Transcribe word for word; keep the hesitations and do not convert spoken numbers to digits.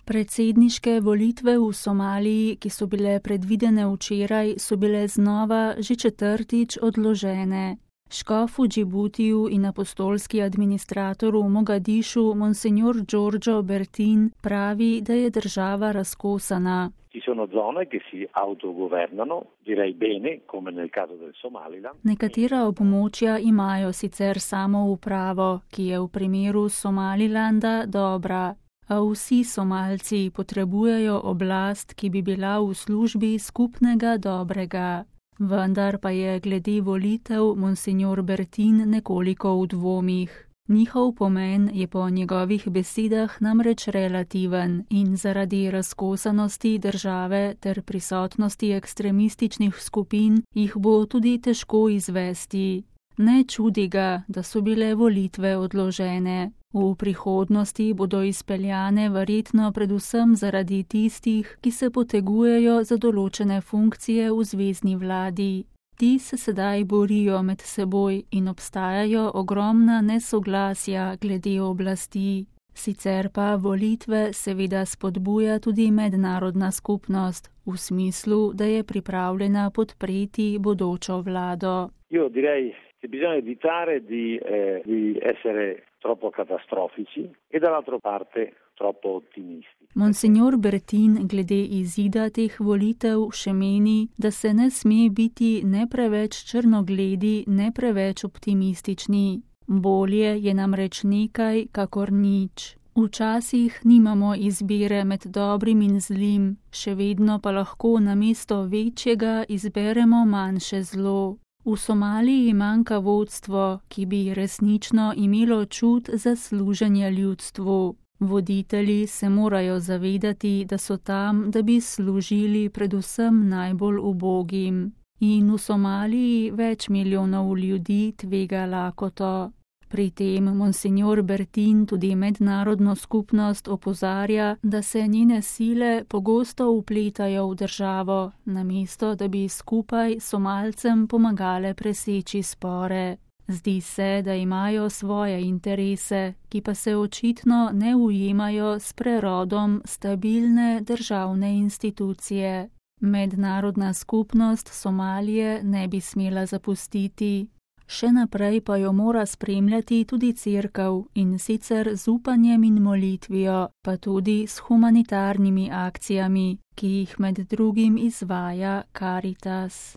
Predsedniške volitve v Somaliji, ki so bile predvidene včeraj, so bile znova že četrtič odložene. Škof v Džibutiju in apostolski administrator v Mogadišu, monsignor Giorgio Bertin, pravi, da je država razkosana. Ci sono zone che si autogovernano, direi bene, come nel caso del Somaliland. Nekatera območja imajo sicer samoupravo, ki je v primeru Somalilanda dobra. A vsi Somalci potrebujejo oblast, ki bi bila v službi skupnega dobrega. Vendar pa je glede volitev monsignor Bertin nekoliko v dvomih. Njihov pomen je po njegovih besedah namreč relativen in zaradi razkosanosti države ter prisotnosti ekstremističnih skupin jih bo tudi težko izvesti. Ne čudi ga, da so bile volitve odložene. V prihodnosti bodo izpeljane verjetno predvsem zaradi tistih, ki se potegujejo za določene funkcije v zvezni vladi. Ti se sedaj borijo med seboj in obstajajo ogromna nesoglasja glede oblasti. Sicer pa volitve seveda spodbuja tudi mednarodna skupnost, v smislu, da je pripravljena podpreti bodočo vlado. Io direi che bisogna evitare di, eh, di essere troppo catastrofici e dall'altra parte troppo ottimisti. Monsignor Bertin glede izida teh volitev še meni, da se ne sme biti ne preveč črnogledi, ne preveč optimistični. Bolje je namreč nekaj, kakor nič. Včasih nimamo izbire med dobrim in zlim, še vedno pa lahko namesto večjega izberemo manjše zlo. V Somaliji manjka vodstvo, ki bi resnično imelo čut za služenje ljudstvu. Voditelji se morajo zavedati, da so tam, da bi služili predvsem najbolj ubogim. In v Somaliji več milijonov ljudi tvega lakoto. Pri tem monsignor Bertin tudi mednarodno skupnost opozarja, da se njene sile pogosto vpletajo v državo, namesto da bi skupaj Somalcem pomagale preseči spore. Zdi se, da imajo svoje interese, ki pa se očitno ne ujemajo s prerodom stabilne državne institucije. Mednarodna skupnost Somalije ne bi smela zapustiti. Še naprej pa jo mora spremljati tudi cerkev in sicer z upanjem in molitvijo, pa tudi s humanitarnimi akcijami, ki jih med drugim izvaja Caritas.